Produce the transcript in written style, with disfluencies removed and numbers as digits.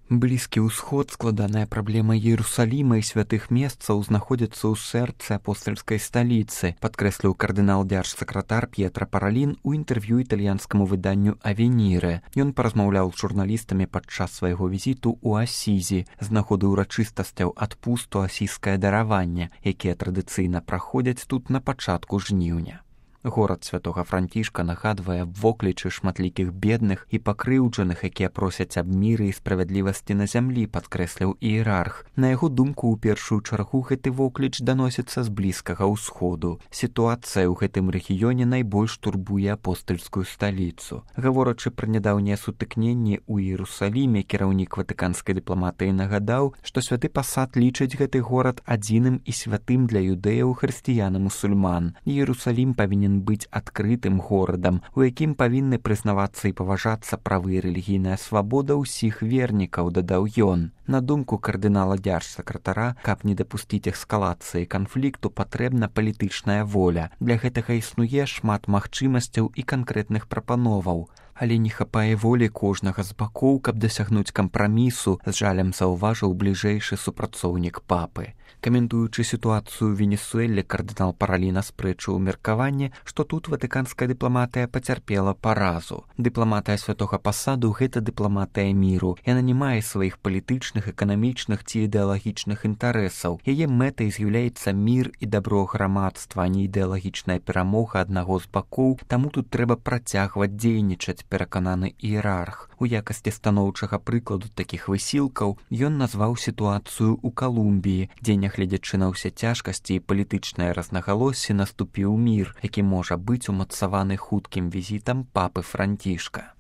Блізкі ўсход, складаная праблема Іерусаліма і святых месцаў, знаходзіцца ў сэрцы апостальскай сталіцы, падкрэсліў кардынал-дзяржсакратар П'етра Паралін у інтэрв'ю італьянскаму выданню «Авеніре». Ён паразмаўляў з журналістамі падчас свайго візіту ў Асізі з нагоды ўрачыстасцяў адпусту асійскае дараванне, якія традыцыйна праходзяць тут на пачатку жніўня. Горад святога Францішка нагадвае воклічы шматлікіх бедных і пакрыўджаных, якія просяць аб міры і справядлівасці на зямлі, падкрэсліў іерарх. На яго думку, у першую чаргу гэты вокліч даносіцца з Блізкага ўсходу. Сітуацыя ў гэтым рэгіёне найбольш турбуе апостальскую сталіцу. Гаворачы пра нядаўнія сутыкненні ў Іерусаліме, кіраўнік ватыканскай дыпламатыі нагадаў, што святы пасад лічыць гэты горад адзіным і святым для юдэяў, хрысціян і мусульман. Іерусалім павінен быць адкрытым горадам, у якім павінны прызнавацца і паважацца правы і рэлігійная свабода ўсіх вернікаў, дадаў ён. На думку кардынала-дзяржсакратара, каб не дапусціць эскалацыі канфлікту, патрэбна палітычная воля. Для гэтага існуе шмат магчымасцяў і канкрэтных прапановаў. Але не хапае волі кожнага з бакоў, каб дасягнуць кампрамісу, з жалем заўважыў бліжэйшы супрацоўнік папы. Каментуючы сітуацыю ў Венесуэле, кардынал Паралін аспрэчыў меркаванне, што тут ватыканская дыпламатыя пацярпела паразу. Дыпламатыя святога пасаду – гэта дыпламатыя міру. Яна не мае сваіх палітычных, эканамічных ці ідэалагічных інтарэсаў. Яе мэтай з'яўляецца мір і дабро грамадства, а не ідэалагічная перамога аднаго з бакоў, таму тут трэба працягваць дзейнічаць, перакананы іерарх. У якасці станоўчага прыкладу такіх высілкаў ён назваў сітуацыю ў Калумбіі, дзе, нягледзячы на ўсе цяжкасці і палітычнае разнагалоссі, наступіў мір, які можа быць умацаваны хуткім візітам папы Францішка.